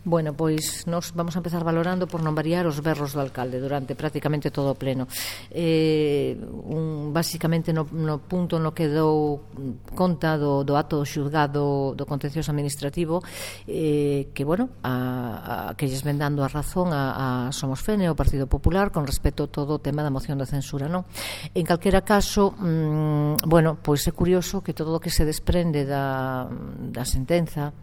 Bueno, pois nos vamos a empezar valorando por non variar os berros do alcalde durante prácticamente todo o pleno. Basicamente no punto no que dou conta do acto do xulgado do contencioso administrativo, que, bueno, que lles ven dando a razón a Somos Fene, o Partido Popular, con respecto a todo o tema da moción de censura, non? En calquera caso, bueno, pois é curioso que todo o que se desprende da sentenza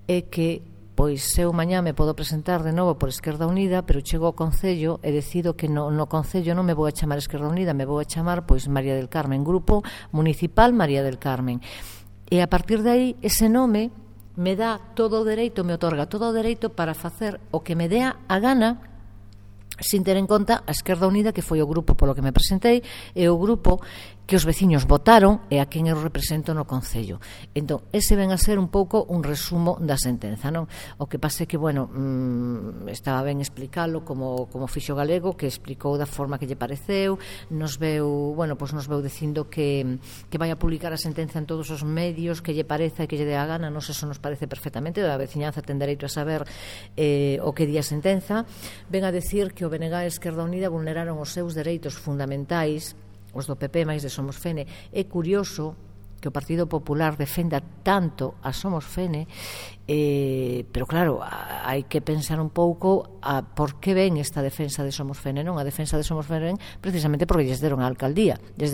é que pois eu mañá me podo presentar de novo por Esquerda Unida, pero chego ao Concello e decido que no Concello non me vou a chamar Esquerda Unida, me vou a chamar pois María del Carmen, Grupo Municipal María del Carmen. E a partir de aí, ese nome me dá todo o dereito, me otorga todo o dereito para facer o que me dea a gana, sin ter en conta a Esquerda Unida, que foi o grupo polo que me presentei, e o grupo que os veciños votaron e a quen eu represento no Concello. Entón, ese ven a ser un pouco un resumo da sentenza, non? O que pase que, bueno, estaba ben explicalo como fixo Galego, que explicou da forma que lle pareceu, nos veu dicindo que vai a publicar a sentenza en todos os medios que lle pareza e que lle dé a gana. Nos eso nos parece perfectamente, a veciñanza ten dereito a saber o que di a sentenza. Ven a decir que o BNG e Esquerda Unida vulneraron os seus dereitos fundamentais, os do PP máis de Somos Fene. É curioso que o Partido Popular defenda tanto a Somos Fene, pero claro, hai que pensar un pouco a por que ven esta defensa de Somos Fene, non? A defensa de Somos Fene ven precisamente porque lles deron a alcaldía, lles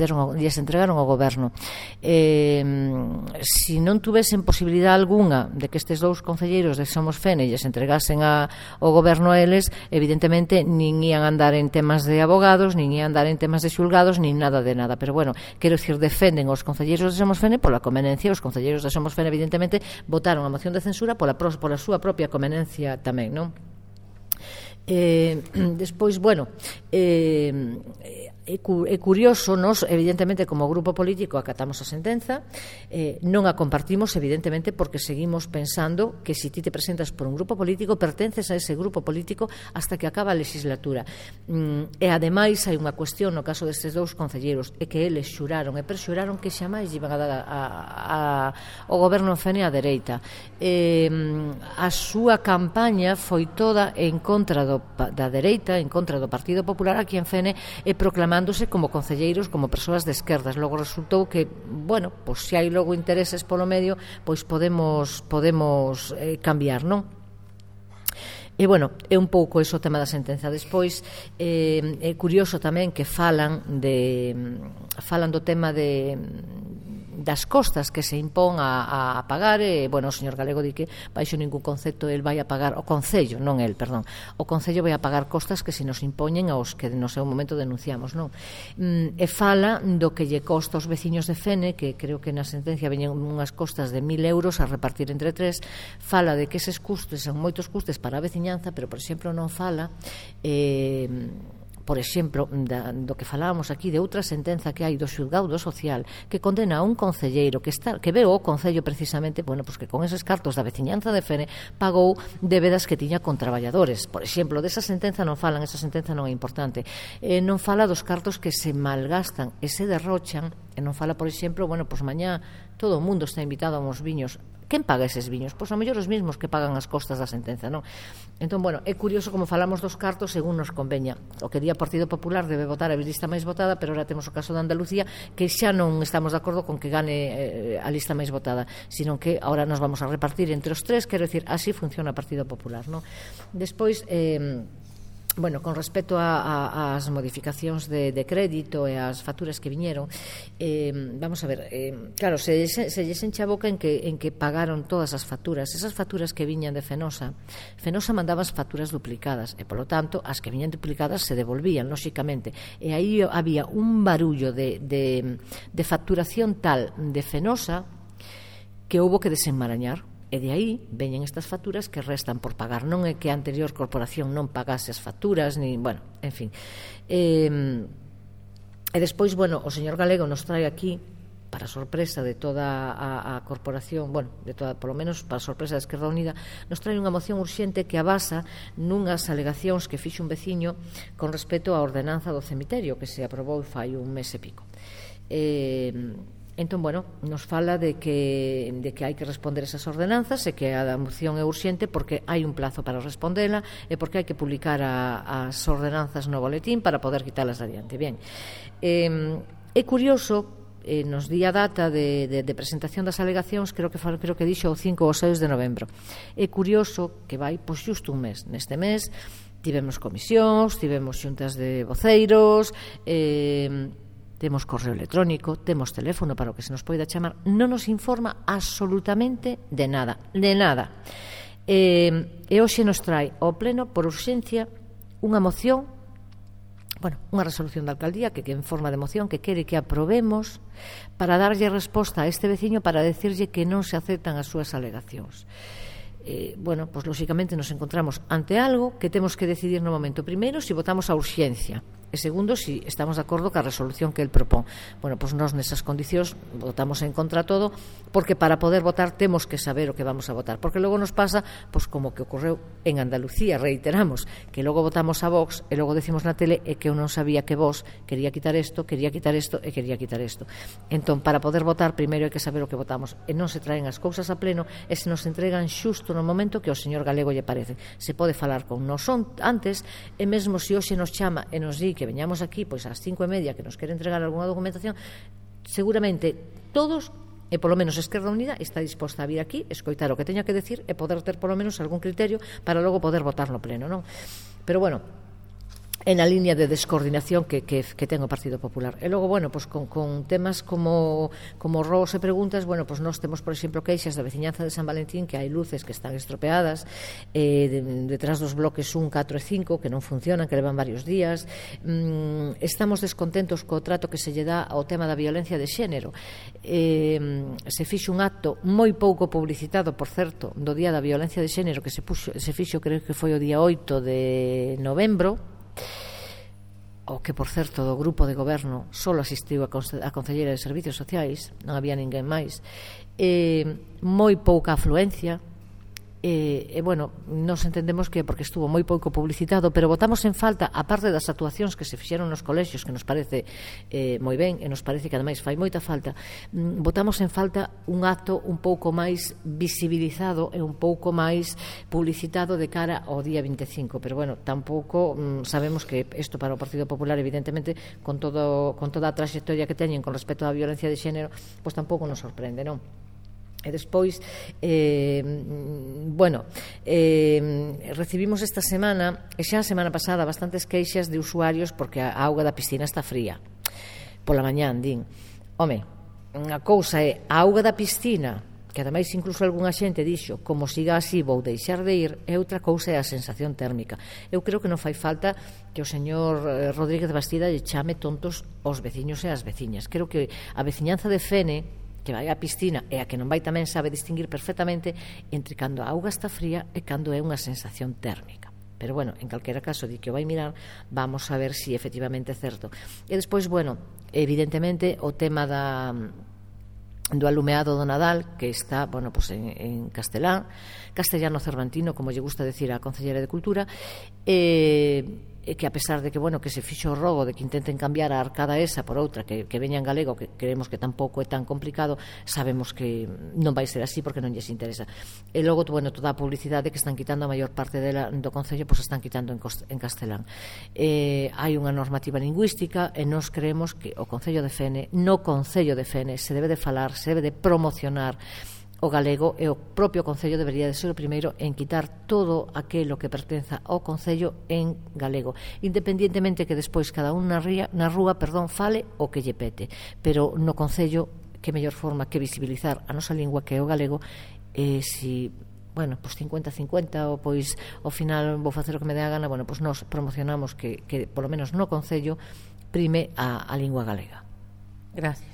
entregaron o goberno. Se non tuvesen posibilidade algunha de que estes dous concelleiros de Somos Fene lles entregasen o goberno a eles, evidentemente nin ian andar en temas de abogados, nin ian andar en temas de xulgados, nin nada de nada. Pero bueno, quero dicir, defenden os concelleiros de Somos Fene pola conveniencia. Os concelleiros de Somos Fene evidentemente votaron a moción de censura pola súa propia conveniencia tamén, non? Despois, bueno, é curioso, nos evidentemente como grupo político acatamos a sentenza, non a compartimos evidentemente porque seguimos pensando que se ti te presentas por un grupo político pertences a ese grupo político hasta que acaba a legislatura. E ademais hai unha cuestión no caso destes dous concelleiros, é que eles xuraron e perxuraron que xamais iban a dar o goberno en Fene á dereita. A súa campaña foi toda en contra da dereita, en contra do Partido Popular aquí en Fene, e proclamándose como concelleiros, como persoas de esquerdas. Logo resultou que, bueno, pois se hai logo intereses polo medio, pois podemos cambiar, non? E, bueno, é un pouco ese o tema da sentenza. Despois, é curioso tamén que falan do tema das costas que se impón a pagar. Bueno, o señor Galego di que baixo ningún concepto el vai a pagar, o Concello, non el, perdón, o Concello vai a pagar costas que se nos impoñen aos que no seu momento denunciamos, non? E fala do que lle costa aos veciños de Fene, que creo que na sentencia veñen unhas costas de 1.000 euros a repartir entre tres. Fala de que eses custos son moitos custes para a veciñanza, pero, por exemplo, non fala por exemplo, do que falábamos aquí, de outra sentenza que hai do xulgado social que condena a un concelleiro que veo o Concello precisamente, bueno, pues que con eses cartos da veciñanza de Fene pagou débedas que tiña con traballadores. Por exemplo, desa sentenza non falan, esa sentenza non é importante. Non fala dos cartos que se malgastan e se derrochan, e non fala, por exemplo, bueno, pues mañá todo o mundo está invitado a uns viños. Quen paga eses viños? Pois a mellor os mismos que pagan as costas da sentenza, non? Entón, bueno, é curioso como falamos dos cartos según nos conveña. O que di o Partido Popular debe votar a lista máis votada, pero ahora temos o caso de Andalucía, que xa non estamos de acordo con que gane a lista máis votada, sino que ahora nos vamos a repartir entre os tres. Quero dicir, así funciona o Partido Popular, non? Despois, bueno, con respecto ás modificacións de crédito e ás facturas que viñeron, vamos a ver, claro, se lles enche a boca en que pagaron todas as facturas. Esas facturas que viñan de Fenosa mandaba as facturas duplicadas e, polo tanto, as que viñan duplicadas se devolvían, lóxicamente, e aí había un barullo de facturación tal de Fenosa que houbo que desenmarañar. E de aí veñen estas facturas que restan por pagar. Non é que a anterior corporación non pagase as facturas, ni, bueno, en fin. E despois, bueno, o señor Galego nos trae aquí, para sorpresa de toda a corporación, bueno, de toda, polo menos para sorpresa da Esquerda Unida, nos trae unha moción urxente que abasa nunhas alegacións que fixo un veciño con respecto á ordenanza do cemiterio que se aprobou fai un mes e pico. Entón, bueno, nos fala de que hai que responder esas ordenanzas e que a moción é urxente porque hai un plazo para respondela e porque hai que publicar as ordenanzas no boletín para poder quitalas adiante. Bien, é curioso, nos di a data de presentación das alegacións, creo que dixo o 5 ou 6 de novembro. É curioso que vai pois xusto un mes. Neste mes tivemos comisións, tivemos xuntas de voceiros, temos correo electrónico, temos teléfono para o que se nos poida chamar, non nos informa absolutamente de nada, de nada. E hoxe nos trae ao pleno por urxencia unha moción, unha resolución da alcaldía que en forma de moción que quere que aprobemos para darlle resposta a este veciño para decirlle que non se aceptan as súas alegacións. Pois lóxicamente nos encontramos ante algo que temos que decidir no momento. Primeiro, se votamos a urxencia, e segundo, se estamos de acordo ca resolución que el propón. Pois nós nesas condicións votamos en contra todo, porque para poder votar temos que saber o que vamos a votar, porque logo nos pasa, pois como que ocorreu en Andalucía, reiteramos, que logo votamos a Vox e logo decimos na tele e que eu non sabía que Vox quería quitar isto e quería quitar isto. Entón, para poder votar, primeiro hai que saber o que votamos, e non se traen as cousas a pleno e se nos entregan xusto no momento que ao señor Galego lle parece. Se pode falar con nós antes, e mesmo se hoxe nos chama e nos di que veñamos aquí pois ás 5:30 que nos quere entregar algunha documentación, seguramente todos, e polo menos Esquerda Unida está disposta a vir aquí, escoitar o que teña que decir e poder ter polo menos algún criterio para logo poder votar no pleno, non? Pero en a línea de descoordinación que ten o Partido Popular. E logo, pois con temas como robos e preguntas, pois nós temos, por exemplo, queixas da veciñanza de San Valentín que hai luces que están estropeadas detrás dos bloques 1, 4 e 5 que non funcionan, que levan varios días. Estamos descontentos co trato que se lle dá ao tema da violencia de xénero. Se fixo un acto moi pouco publicitado, por certo, do Día da Violencia de Xénero que se fixo, creo que foi o día 8 de novembro, o que, por certo, do grupo de goberno só asistiu a concelleira de Servicios Sociais, non había ninguén máis, moi pouca afluencia, nos entendemos que porque estuvo moi pouco publicitado, pero votamos en falta, a parte das actuacións que se fixeron nos colexios, que nos parece moi ben, e nos parece que ademais fai moita falta, votamos en falta un acto un pouco máis visibilizado e un pouco máis publicitado de cara ao día 25, pero tampouco sabemos que isto para o Partido Popular, evidentemente, con toda a trayectoria que teñen con respecto á violencia de xénero, pois tampouco nos sorprende, non? E despois recibimos esta semana e xa a semana pasada bastantes queixas de usuarios porque a auga da piscina está fría pola mañán, din. Unha cousa é a auga da piscina, que ademais incluso algunha xente dixo como siga así vou deixar de ir, e outra cousa é a sensación térmica. Eu creo que non fai falta que o señor Rodríguez Bastida lle chame tontos aos veciños e ás veciñas. Creo que a veciñanza de Fene, que vai á piscina e a que non vai tamén sabe distinguir perfectamente entre cando a auga está fría e cando é unha sensación térmica. Pero en calquera caso, di que o vai mirar, vamos a ver se efectivamente é certo. E despois, evidentemente, o tema do alumeado do Nadal, que está, en castellano cervantino, como lle gusta decir a Concelleira de Cultura, e que a pesar de que se fixo o rogo de que intenten cambiar a arcada esa por outra que veña en galego, que creemos que tampouco é tan complicado, sabemos que non vai ser así porque non lles interesa. E logo, toda a publicidade que están quitando a maior parte do Concello, pois están quitando en castelán. Hai unha normativa lingüística e nós creemos que o Concello de Fene, no Concello de Fene, se debe de falar, se debe de promocionar o galego, e o propio Concello debería de ser o primeiro en quitar todo aquilo que pertenza ao Concello en galego, independientemente que despois cada un na rúa fale o que lle pete, pero no Concello que mellor forma que visibilizar a nosa lingua, que é o galego, si 50-50 ou pois ao final vou facer o que me dé a gana, pois nós promocionamos que polo menos no Concello prime a lingua galega. Gracias.